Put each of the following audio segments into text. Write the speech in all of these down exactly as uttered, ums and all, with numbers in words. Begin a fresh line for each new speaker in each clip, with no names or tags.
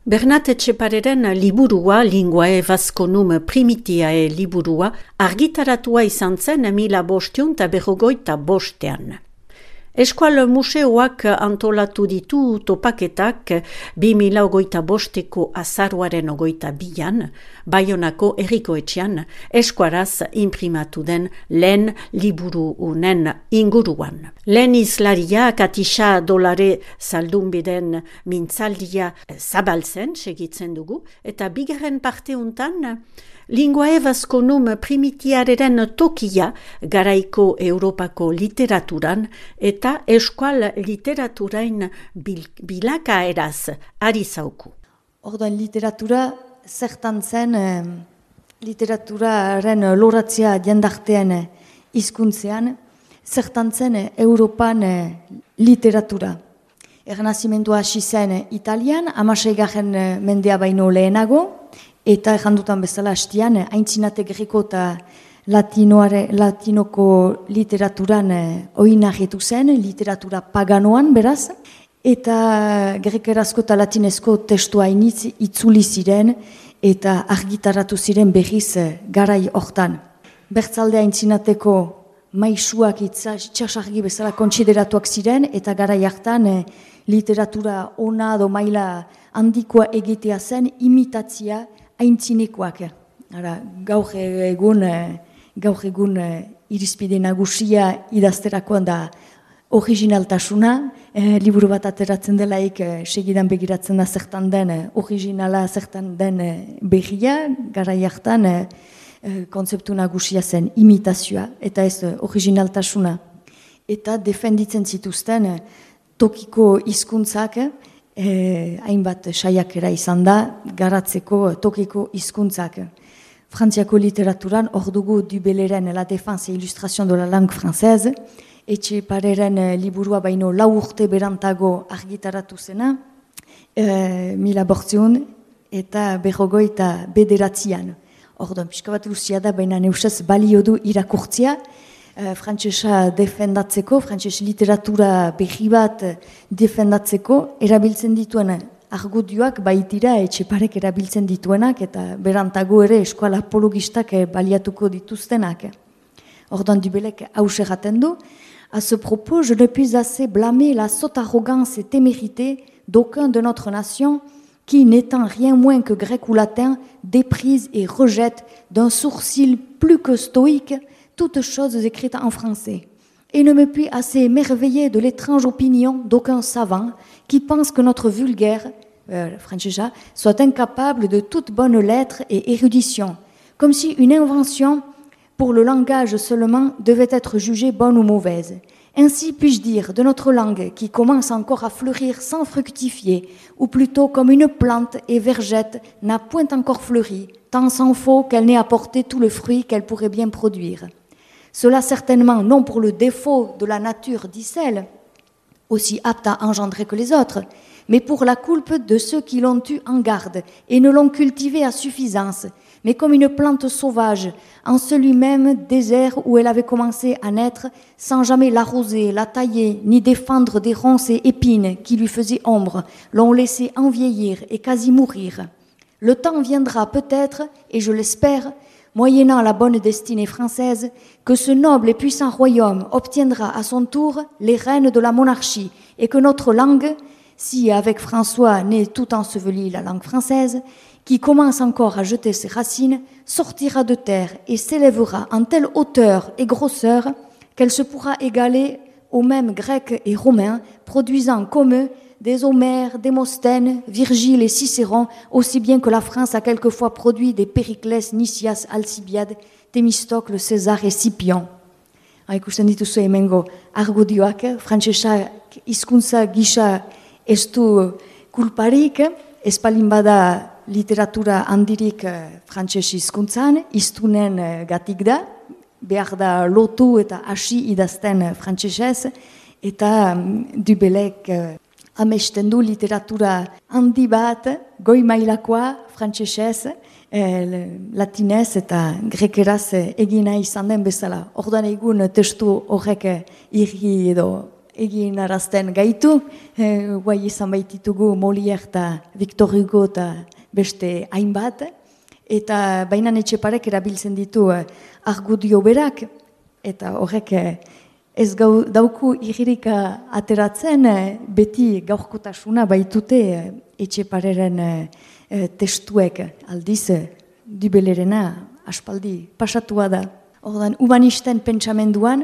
Bernat Etxepareren liburua, Linguae Vasconum Primitiae liburua, argitaratua izan zen mila bosteun eta berrogoita bostean. Eskual museoak antolatu ditu topaketak bi mila ogoita bosteko azaruaren ogoita bian, Baionako Herrikoetxean, eskuaraz imprimatu den lehen liburu unen inguruan. Lehen izlaria Katisa Dolare zaldunbiden mintzaldia zabaltzen segitzen dugu, eta bigarren parte untan Linguae Vasconum Primitiaren tokia garaiko Europako literaturan eta eskual literaturain bil, bilakaeraz ari zauku.
Orduan literatura zertan zen eh, literaturaren loratzea jendartean hizkuntzean, zertan zen Europan eh, literatura. Ernazimendua hasi zen Italian, hamaseigarren mendea baino lehenago, eta errandutan bezala hastian, haintzinate greko eta latinoare, latinoko literaturan eh, oinarritu zen, literatura paganoan beraz, eta grekerazko eta latinezko testua initz itzuli ziren, eta argitaratu ziren berriz eh, garai hortan. Bertzalde haintzinateko maisuak itxasargi bezala kontsideratuak ziren, eta garai hartan eh, literatura ona do maila handikoa egitea zen imitatzia aintzinekoak. Ara, gaur egun, gaur egun irizpide nagusia idazterakoan da originaltasuna, eh, liburu bat ateratzen delaik eh, segidan begiratzen da zertan den eh, originala, zertan den eh, berria, garai hartan eh, kontzeptu nagusia zen imitazioa, eta ez eh, originaltasuna. Eta defenditzen zituzten eh, tokiko hizkuntzak, Eh, hainbat saiakera izan da, garatzeko tokiko hizkuntzak. Frantziako literaturan hor dugu Dubelleren La Défense et Illustration de la Langue Française, Etxepareren liburua baino lau urte berantago argitaratu zena, eh, mila bortziun eta berrogoi eta bederatzian. Orduan, pixka bat luzia da, baina neusaz balio du irakurtzia, Uh, frantsesa defendatzeko, frantses literatura berri bat defendatzeko, erabiltzen dituen argudioak baitira Etxeparek erabiltzen dituenak, eta berantago ere eskola apologistak baliatuko dituztenak. Ordan Dubellek hause erraten du, à ce propos, je ne puis assez blâmer la sotte arrogance et témérité d'aucun de notre nation qui, n'étant rien moins que grec ou latin, déprise et rejette d'un sourcil plus que stoïque toutes choses écrites en français, et ne me puis assez émerveiller de l'étrange opinion d'aucun savant qui pense que notre vulgaire, euh, francesa, soit incapable de toute bonne lettre et érudition, comme si une invention pour le langage seulement devait être jugée bonne ou mauvaise. Ainsi puis-je dire de notre langue qui commence encore à fleurir sans fructifier, ou plutôt comme une plante et vergette n'a point encore fleuri, tant s'en faut qu'elle n'ait apporté tout le fruit qu'elle pourrait bien produire. Cela certainement non pour le défaut de la nature d'Icelle, aussi apte à engendrer que les autres, mais pour la coulpe de ceux qui l'ont eu en garde et ne l'ont cultivée à suffisance, mais comme une plante sauvage, en celui-même désert où elle avait commencé à naître, sans jamais l'arroser, la tailler, ni défendre des ronces et épines qui lui faisaient ombre, l'ont laissé envieillir et quasi mourir. Le temps viendra peut-être, et je l'espère, moyennant la bonne destinée française, que ce noble et puissant royaume obtiendra à son tour les rênes de la monarchie, et que notre langue, si avec François n'est tout ensevelie la langue française, qui commence encore à jeter ses racines, sortira de terre et s'élèvera en telle hauteur et grosseur qu'elle se pourra égaler aux mêmes Grecs et Romains, produisant comme eux des Homères, Démosthènes, Virgile et Cicéron, aussi bien que la France a quelquefois produit des Périclès, Nicias, Alcibiade, Thémistocle, César et Scipion. Ikusten dituzu hemengo argudioak, frantsesa hizkuntza gisa ez du kulparik, ez palin bada literatura handirik frantses hizkuntzan, hiztunen gatik da, behar da lotu eta hasi idazten frantsesez, eta Dubellek amesten du literatura handi bat, goi mailakoa, frantsesez, eh, latinez eta grekeraz egina izan den bezala. Ordan egun testu horrek irri edo egin arazten gaitu, e, guai izan baititugu Molière eta Victor Hugo eta beste hainbat, eta bainan Etxeparek erabiltzen ditu eh, argudio berak, eta horrek eh, ez gau, dauku igirika ateratzen, eh, beti gaurkotasuna baitute eh, Etxepareren eh, eh, testuek aldiz, eh, Dubelerena aspaldi pasatua da. Ordan, humanisten pentsamenduan,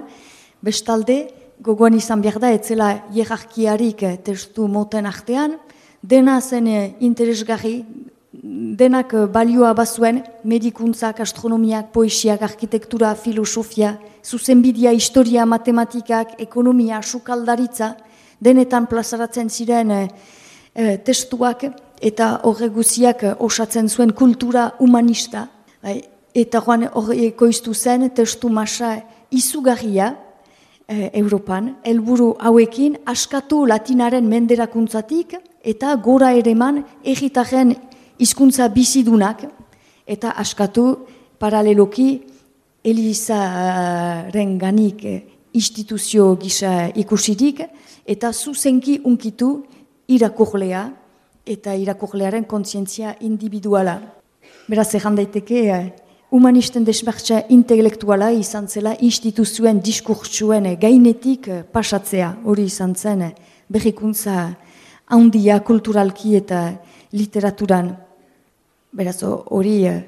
bestalde, gogoan izan behar da, etzela hierarkiarik eh, testu moten artean, dena zen eh, interesgarri, denak balioa bazuen, medikuntzak, astronomiak, poesiak, arkitektura, filosofia, zuzenbidea, historia, matematikak, ekonomia, sukaldaritza, denetan plazaratzen ziren e, e, testuak eta horre guziak osatzen zuen kultura humanista. Eta joan horre ekoiztu zen testu masa izugarria e, Europan, helburu hauekin askatu latinaren menderakuntzatik eta gora ereman egitaren hizkuntza bizidunak eta askatu paraleloki Elizaren ganik instituzio gisa ikusirik eta zuzenki unkitu irakurlea eta irakurlearen kontzientzia individuala. Beraz, egan daiteke, humanisten desmartza intelektuala izan zela instituzioen diskurtsuen gainetik pasatzea. Hori izan zen berrikuntza handia kulturalki eta literaturan. Beraz, hori uh,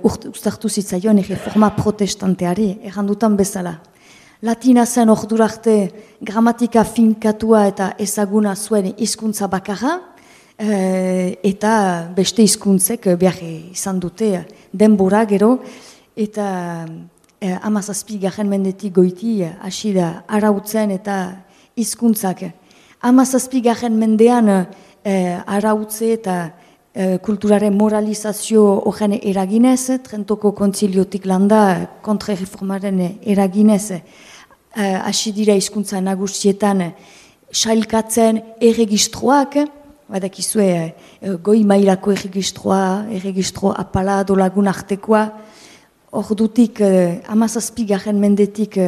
uztartu zitzaion erreforma protestanteari, errandutan bezala. Latina zen ordurarte gramatika finkatua eta ezaguna zuen hizkuntza bakarra, uh, eta beste hizkuntzek behar izan dute denbora gero, eta uh, hamazazpigarren mendetik goiti hasi da arautzen eta hizkuntzak. Hamazazpigarren mendean uh, arautze eta kulturaren moralizazio horren eraginez, Trentoko kontziliotik landa kontrareformaren eraginez, hasi dira hizkuntza nagusietan sailkatzen erregistroak, badakizue goi mailako erregistroa, erregistro apala dolagun artekoa, ordutik hamazazpigarren mendetik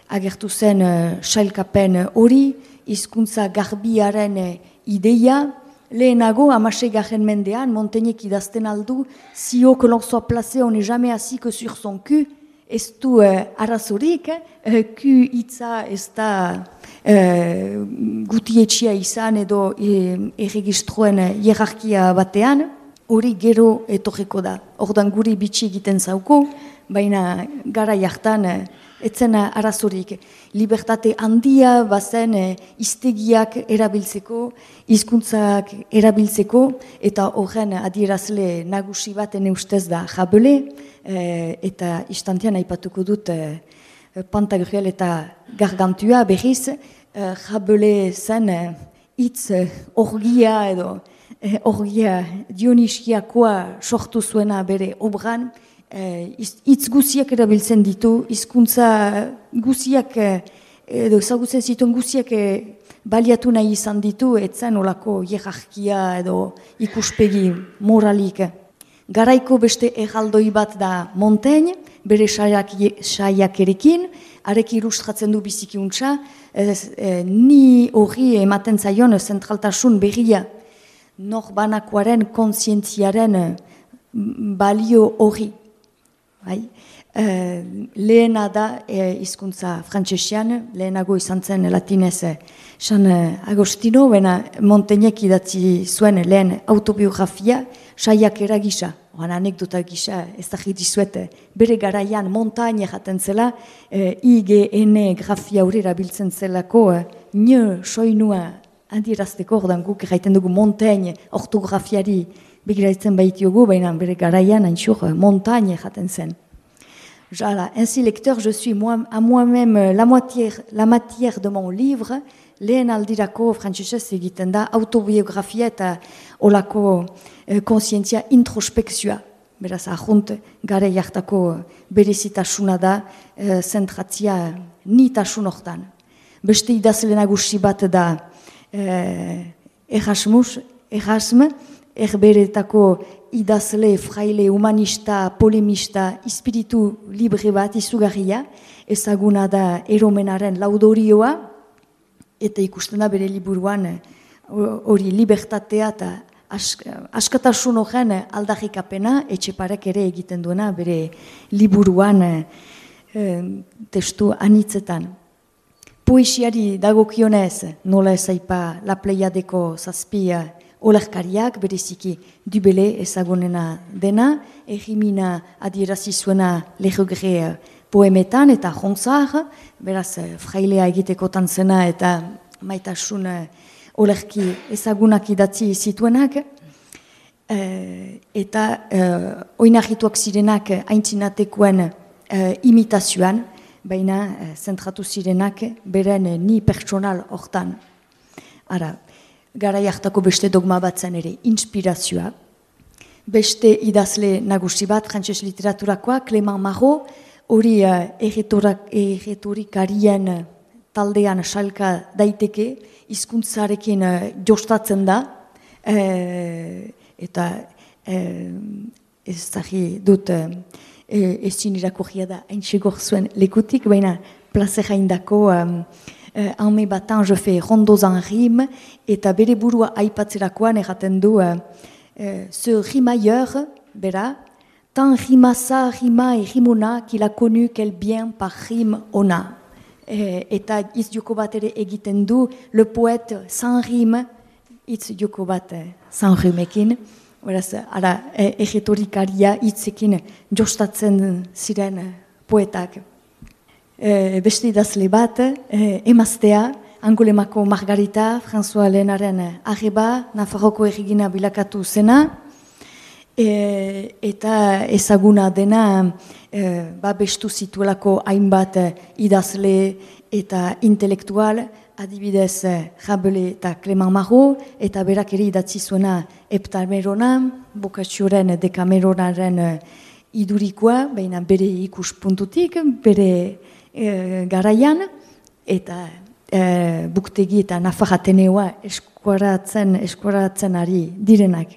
agertu zen sailkapen hori, hizkuntza garbiaren ideia. Lehenago, hamaseigarren mendean, Montaigne idazten aldu, si haut que l'on soit placé, on n'est jamais assis que sur son cul, ez du uh, arazorik, uh, ku hitza ez da uh, gutietxia izan edo uh, erregistroen hierarkia batean, hori gero etorreko da. Ordan guri bitxi egiten zauko, baina gara jartan uh, etzen arazorik. Libertate handia bazen e, iztegiak erabiltzeko, hizkuntzak erabiltzeko, eta horren adierazle nagusi bat ene ustez da Rabele, e, eta istantean aipatuko dut e, Pantagruel eta Gargantua berriz, e, Rabele zen hitz e, orgia edo e, orgia Dioniskiakoa sortu zuena bere obran, hitz guziak erabiltzen ditu, hizkuntza guziak, edo ezagutzen zituen guziak baliatu nahi izan ditu, etzen olako hierarkia edo ikuspegi moralik. Garaiko beste erraldoi bat da Montaigne, bere saiakerekin, arek ilustratzen du bizikiuntza, e, ni hori ematen zaion zentraltasun berria, norbanakoaren kontzientziaren balio hori. Bai. Uh, lehena da hizkuntza uh, frantsesian, lehenago izan zen latinez San uh, Agostino, bena Montaignek idatzi zuen lehen autobiografia, saiakera gisa, oran anekdota gisa, ez da jitizuet, bere garaian Montaigne jaten zela, uh, I G N grafia hori erabiltzen zelako, uh, nio soinua handierazteko, ordan guk jaiten dugu Montaigne ortografiari begiratzen baitiogu, baina bere garaian haintzur Montaigne jaten zen. Jala, ainsi lecteur, je suis moi, à moi-même la, moitié, la matière de mon livre, lehen aldirako frantsesez egiten da autobiografia eta olako eh, konsientzia introspekzioa. Beraz, ahunt, gare jartako berezitasuna da, eh, zentratzia nitasun hortan. Beste idazle nagusi bat da eh, Erasmus, Erasme, erberetako idazle, fraile, humanista, polemista, espiritu libre bat izugarria, ezaguna da eromenaren laudorioa, eta ikusten da bere liburuan hori libertatea eta askatasun horren aldarrikapena Etxeparek ere egiten duena bere liburuan testu anitzetan. Poesiari dagokionez, nola ez aipa La Pleiadeko zazpia olerkariak, bereziki Dubele ezagunena dena, Errimina adierazi zuena Le Regret poemetan eta Ronsard, beraz frailea egitekotan zena eta maitasun olerki ezagunak idatzi zituenak, eta oinarrituak zirenak aintzinatekoen imitazioan, baina zentratu zirenak beren ni pertsonal hortan. Ara, garai hartako beste dogma bat zen ere, inspirazioa. Beste idazle nagusi bat, frantses literaturakoa, Clément Marot, hori erretorikarien taldean salka daiteke, hizkuntzarekin jostatzen da, eta ez zari dut ezin irakurria da haintxegor zuen lekutik, baina plazera indako en me battant je fais rondos en rime, eta bere burua aipatzerakoan erraten du ce rimailleur, bera, tant rima ça, rima et rimona, qu'il a connu quel bien par rime on a. Eta hitz joko bat ere egiten du, le poète sans rime, hitz joko bat sans rimekin, beraz, ara, erretorikaria hitzekin jostatzen ziren poetak. E, beste idazle bat, e, emaztea, Angolemako Margarita, François Lehenaren arreba, Nafarroko errigina bilakatu zena, e, eta ezaguna dena e, ba bestu zituelako hainbat idazle eta intelektual, adibidez Rabelais eta Clément Marot, eta berak ere idatzi zuena Heptamerona, Boccacioren Dekameronaren idurikoa, baina bere ikuspuntutik, bere e, garaian, eta e, Buktegi eta Nafar Ateneoa eskuaratzen, eskuaratzen ari direnak.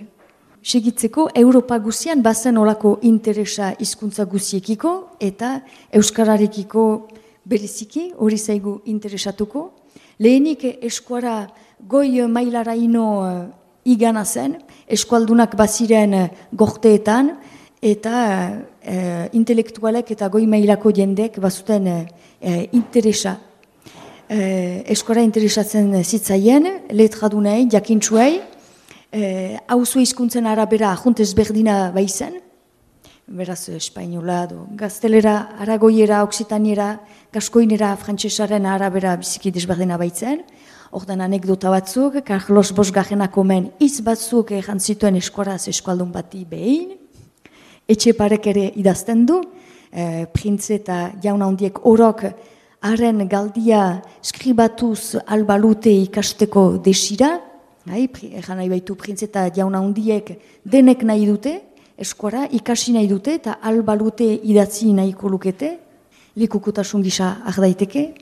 Segitzeko, Europa guzian bazen olako interesa hizkuntza guziekiko, eta euskararekiko bereziki, hori zaigu interesatuko. Lehenik eskuara goi mailaraino igana zen, eskualdunak baziren gorteetan, eta e, intelektualek eta goi mailako jendek bazuten e, interesa. E, eskuara interesatzen zitzaien, letradunei, jakintsuei, hauzo e, hizkuntzen arabera ajuntez berdina baizen, beraz espainola, do, gaztelera, aragoiera, oksitaniera, gaskoinera, frantsesaren arabera biziki desberdina baitzen. Ordan anekdota batzuk, Carlos Bosgarrenako men hitz batzuk ejan zituen eskuaraz eskualdun bati behin. Etxeparek ere idazten du, e, printze eta jauna handiek orok haren galdia skribatuz albalute ikasteko desira. Ejan nahi baitu printze eta jauna handiek denek nahi dute, eskuara ikasi nahi dute eta albalute idatzi nahiko lukete, likukutasun gisa ardaiteke.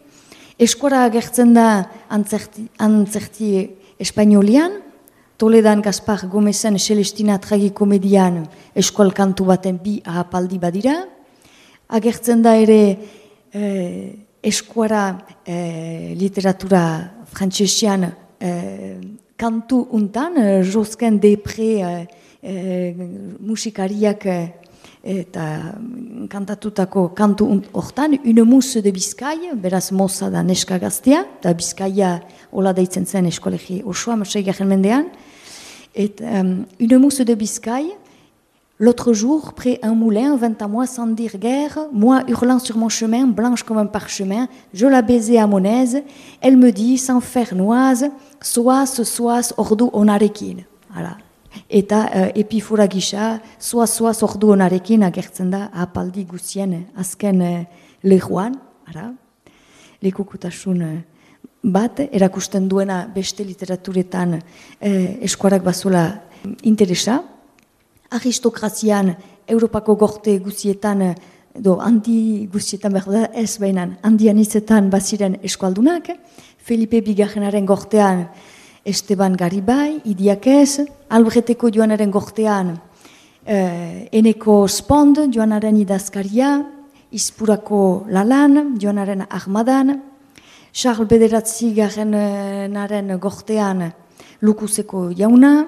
Eskuara agertzen da antzerti, antzerti espainolian, Toledan Gaspar Gomezen Celestina tragikomedian eskual kantu baten bi ahapaldi badira. Agertzen da ere eh, eskuara eh, literatura frantsesian eh, kantu untan, eh, Josquin Desprez eh, eh, musikariak eh, eta kantatutako kantu hortan, Une mousse de Bizkaia, beraz moza da neska gaztea, eta Bizkaia hola deitzen zen eskolegi osoa, maseigarren mendean, et um, Une mousse de Bizkaia, l'autre jour, près un moulin, vint à moi sans dire guère, moi hurlant sur mon chemin, blanche comme un parchemin, je la baisais à mon aise, elle me dit, sans faire noise, soaz, soaz, ordu onarekin. Voilà. Eta uh, epifora gisa, soaz-soaz ordu onarekin agertzen da apaldi guzien azken uh, lehuan, ara, lekukutasun uh, bat, erakusten duena beste literaturetan uh, eskuarak bazuela interesa. Aristokrazian, Europako gorte guzietan, do, handi guzietan behar da, ez behinan, handian izetan baziren eskualdunak, Felipe Bigarrenaren gortean, Esteban Garibay, Idiakez, Albreteko joanaren gortean, eh, Eneko Spond, joanaren idazkaria, Ispurako Lalan, joanaren Armadan, Charles Bederatzi garenaren gortean Lukuzeko jauna,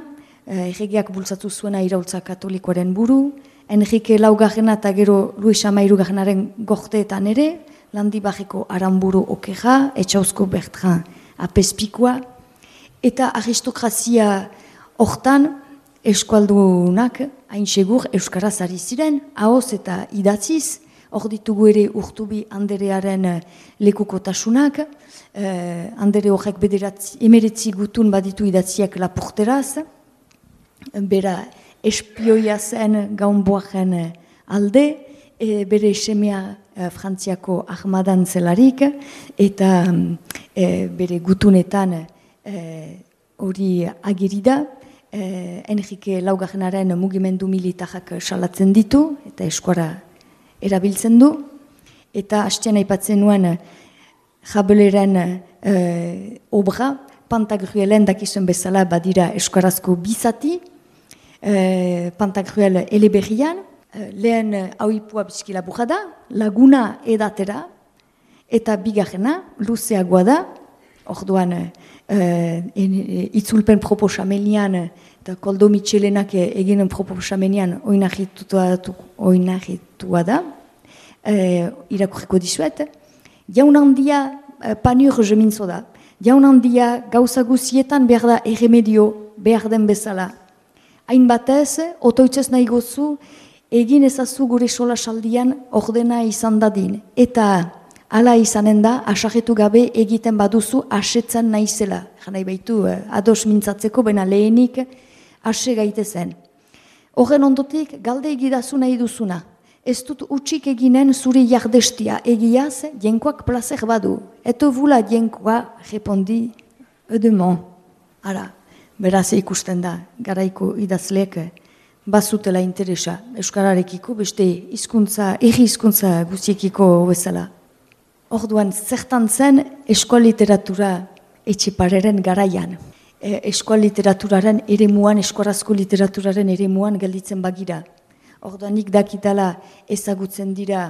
erregeak bultzatu zuena iraultza katolikoaren buru, Enrique Laugarrena eta gero Luis Amairu garenaren gorteetan ere, Landibajeko Aranburu Okeja, Etxauzko Bertran Apezpikoa, eta aristokrazia hortan eskualdunak hain segur euskaraz ari ziren, ahoz eta idatziz, hor ditugu ere Urtubi Anderearen lekukotasunak, eh, Andere horrek bederatzi, emeretzi gutun baditu idatziak lapurteraz, bera espioia zen gaunboaren alde, e, bere semea e, Frantziako armadan zelarik, eta e, bere gutunetan hori e, agiri da, e, Enrique Laugarrenaren mugimendu militarrak salatzen ditu, eta eskuara erabiltzen du, eta hastean aipatzen nuen Jabeleren e, obra, Pantagruelen dakizuen bezala badira eskuarazko bizati, e, Pantagruel eleberrian, e, lehen hauipua bizkila burra da, laguna edatera, eta bigarrena, luzeagoa da, orduan e, e, itzulpen proposamenian, eta Koldo Mitxelenak eginen proposamenian oinahitua da, e, irakurriko dizuet, jaun handia panur jemintzo da, jaun handia gauza guzietan behar da erremedio behar den bezala. Hain batez, otoitzez nahi gozu, egin ezazu gure sola saldian ordena izan dadin. Eta hala izanen da, asajetu gabe egiten baduzu asetzen naizela. Janai baitu, ados mintzatzeko, bena lehenik ase gaitezen. Horren ondotik, galde egidazu nahi duzuna. Ez dut utxik eginen zuri jardestia egiaz, jenkoak placer badu. Eto vula jenkoa, repondi, edemon. Ara, beraz ikusten da, garaiko idazleek bazutela interesa euskararekiko, beste hizkuntza, erri hizkuntza guztiekiko bezala. Orduan, zertan zen eskola literatura Etxepareren garaian. E, eskola literaturaren eremuan, eskorazko literaturaren eremuan gelditzen bagira. Orduan, nik dakitala ezagutzen dira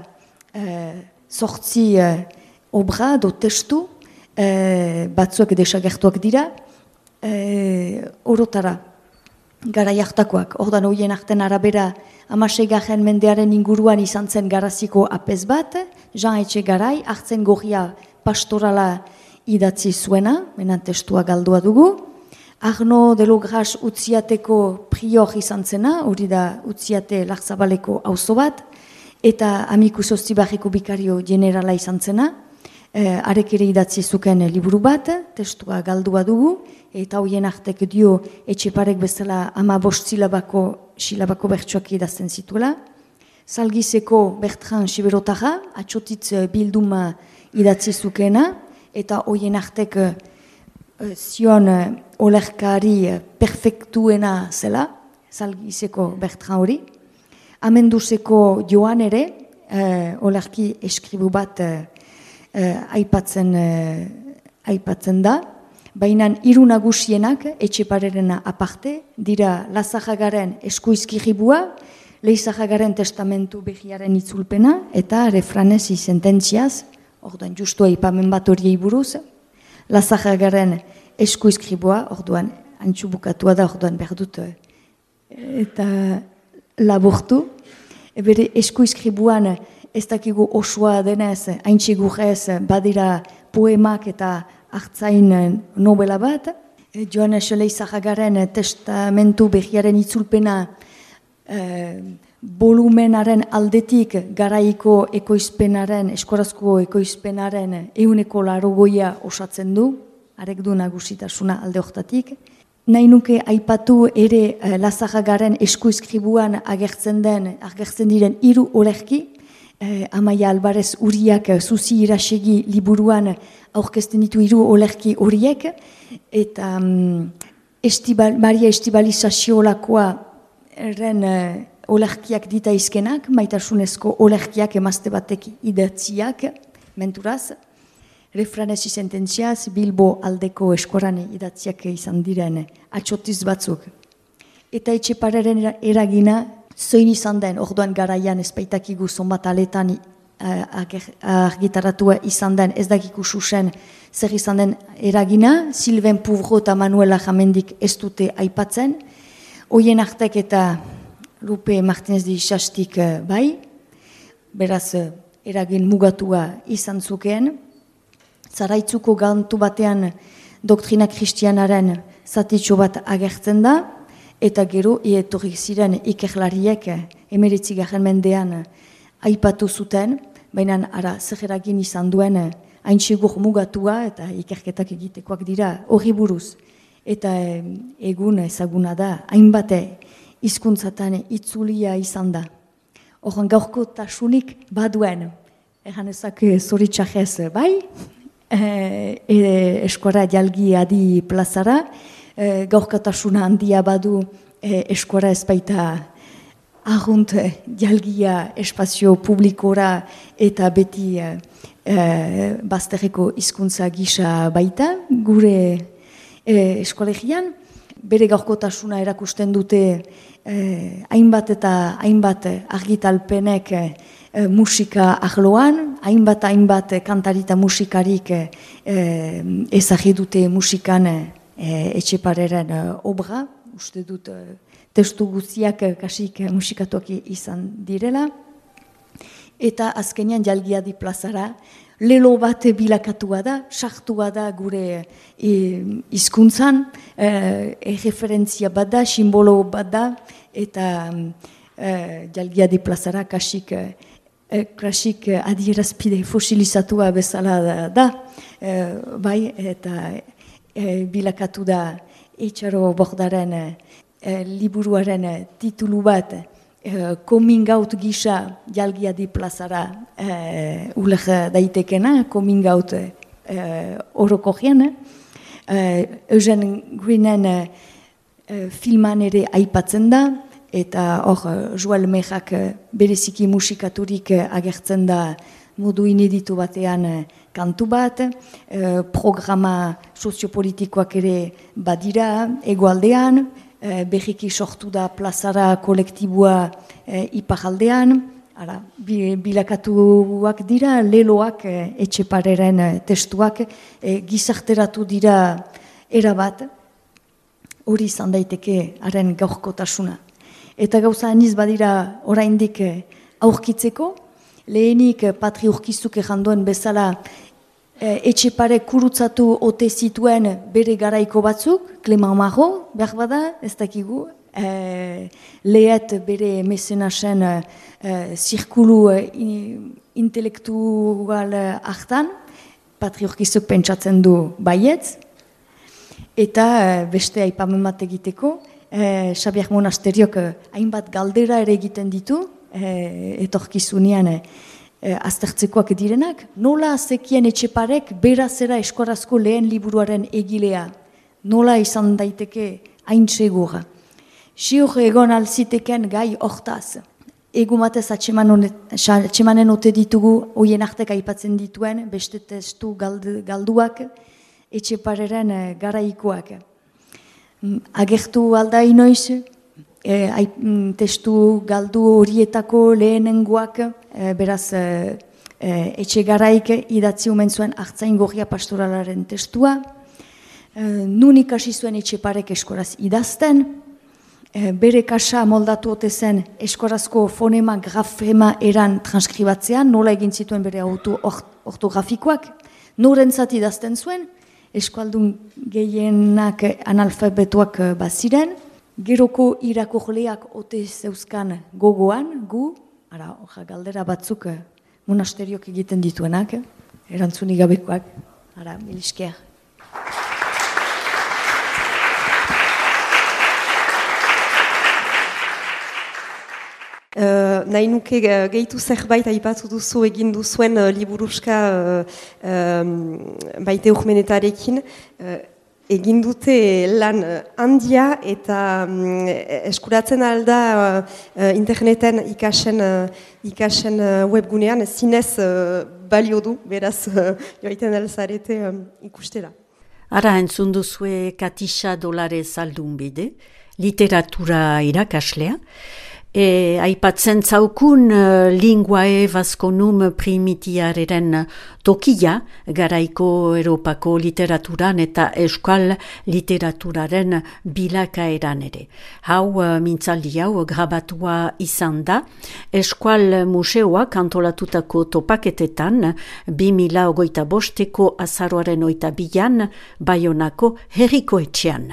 eh, sortzi eh, obra do testu, eh, batzuak desagertuak dira, eh, orotara, gara jartakoak. Orduan, hoien arten arabera, amaseigarren mendearen inguruan izan zen garaziko apez bat, Jean Etxegarai, hartzen gorria pastorala idatzi zuena, menan testua galdua dugu, Arno de Logras Utziateko prior izan zena, hori da Utziate Larzabaleko auzo bat, eta Amikus Ostibarreko bikario generala izan zena, e, arek ere idatzi zuken liburu bat, testua galdua dugu, eta hoien artek dio Etxeparek bezala ama bost silabako, silabako bertsuak idazten zituela. Salgizeko Bertran Siberotara, atxotitz bilduma idatzi zukena, eta hoien artek zion olerkari perfektuena zela, Salgizeko Bertran hori. Amenduseko Joan ere, eh, olerki eskribu bat eh, aipatzen, eh, aipatzen da, baina hiru nagusienak Etxeparerena aparte, dira Lazajagaren eskuizkiribua, Leizajagaren testamentu behiaren itzulpena, eta refranezi sententziaz, orduan justu aipamen bat horiei buruz, Lazajagaren eskuizkribua, orduan, antxu bukatua da, orduan behar dut, eta laburtu. Bere eskuizkribuan ez dakigu osoa denez, haintxigurrez, badira poemak eta hartzain novela bat. Joanes Leizajagaren testamentu behiaren itzulpena eh, volumenaren aldetik garaiko ekoizpenaren, eskorazko ekoizpenaren euneko larogoia osatzen du, arek du nagusitasuna alde hortatik. Nahi nuke aipatu ere eh, Lazajagaren eskuizkribuan agertzen den, agertzen diren hiru olerki, eh, Amaia Alvarez Uriak Zuzi Irasegi liburuan aurkezten ditu hiru olerki horiek, eta um, estibal, Maria Estibalizazio-lakoa erren eh, olerkiak dita izkenak, maitasunezko olerkiak emazte batek idatziak, menturaz, refranezi sententziaz, Bilbo aldeko eskoran idatziak izan diren atxotiz batzuk. Eta Etxepareren eragina zoin izan den, orduan garaian ezpaitakigu zonbat aletan argitaratua izan den, ez dakiku susen zer izan den eragina, Sylvain Pouvreau eta Manuela Jamendik ez dute aipatzen, hoien artek eta Lupe Martinez de Ixastik bai, beraz eragin mugatua izan zukeen, Zaraitzuko gantu batean doktrina kristianaren zatitxo bat agertzen da, eta gero ietorrik ziren ikerlariek emeretzi garren mendean aipatu zuten, baina ara zer eragin izan duen hain segur mugatua eta ikerketak egitekoak dira horri buruz. Eta egun ezaguna da, hainbat hizkuntzatan itzulia izan da. Horren gaurko tasunik baduen, egan ezak zoritxajez bai, E, e, eskuara jalgi adi plazara, e, gaurkatasuna handia badu e, eskuara ezbaita ahunt jalgia espazio publikora eta beti e, e, bazterreko hizkuntza gisa baita, gure e, eskolegian, bere gaurkotasuna erakusten dute e, hainbat eta hainbat argitalpenek e, E, musika arloan, hainbat hainbat kantarita musikarik e, ezagri dute musikan e, Etxepareren e, obra, uste dut e, testu guztiak e, kasik musikatuak izan direla, eta azkenean jalgiadi plazara, lelo bat bilakatua da, sartua da gure hizkuntzan, e, e, referentzia bat da, simbolo bat da, eta e, jalgiadi plazara kasik e, klasik adierazpide fosilizatua bezala da, da e, bai, eta e, bilakatu da Etxaro Bordaren e, liburuaren titulu bat e, coming out gisa jalgiadi plazara e, uler daitekena, coming out e, orokorien, e, Eugene Greenen e, filman ere aipatzen da, eta hor, Joel Mejak bereziki musikaturik agertzen da modu ineditu batean kantu bat, eh, programa soziopolitikoak ere badira egoaldean, eh, berriki sortu da plazara kolektibua eh, iparaldean, ara, bilakatuak dira, leloak eh, Etxepareren testuak eh, gizarteratu dira erabat, hori izan daiteke haren gaurkotasuna. Eta gauza aniz badira oraindik aurkitzeko, lehenik Patri Urkizuk erranduen bezala Etxepare kurutzatu ote zituen bere garaiko batzuk, Clement Marot, behar bada, ez dakigu, e, lehet bere mesenasen e, zirkulu e, intelektual hartan, Patri Urkizuk pentsatzen du baietz, eta e, beste aipamen bat egiteko, Eh, Xabier Monasteriok eh, hainbat galdera ere egiten ditu, eh, etorkizunean eh, aztertzekoak direnak, nola zekien Etxeparek berazera eskorazko lehen liburuaren egilea, nola izan daiteke hain segura. Siur egon alziteken gai hortaz, egumatez atxemanen ote ditugu, hoien artek aipatzen dituen, beste testu galdu, galduak, Etxepareren eh, garaikoak. Agertu alda inoiz, e, ai, testu galdu horietako lehenengoak, e, beraz e, e, Etxegaraik idatzi omen zuen Artzain Gorria pastoralaren testua, e, nun ikasi zuen Etxeparek eskoraz idazten, e, bere kasa moldatu ote zen eskorazko fonema grafema eran transkribatzean, nola egin zituen bere auto ortografikoak, norentzat idazten zuen, eskualdun gehienak analfabetuak baziren, geroko irakurleak ote zeuzkan gogoan, gu, ara, oja, galdera batzuk monasteriok egiten dituenak, erantzunik gabekoak, ara, miliskeak.
Uh, nahi nuke uh, gehitu zerbait aipatu duzu egin duzuen uh, liburuska uh, um, baite urmenetarekin. Uh, egin dute lan uh, handia eta um, eskuratzen alda uh, interneten ikasen, uh, ikasen uh, webgunean zinez uh, balio du, beraz uh, joaiten alzarete um, ikustera.
Ara entzun duzue Katixa Dolare Zaldunbide, literatura irakaslea, E aipatzen zaukun uh, linguae vasconum primitiareren tokia, garaiko Europako literaturan eta euskal literaturaren bilakaeran ere. Hau uh, mintzaldi hau grabatua izan da, Eskual Museoak antolatutako topaketetan bi mila hogeita bosteko azaroaren oita bilan Baionako herriko etxean.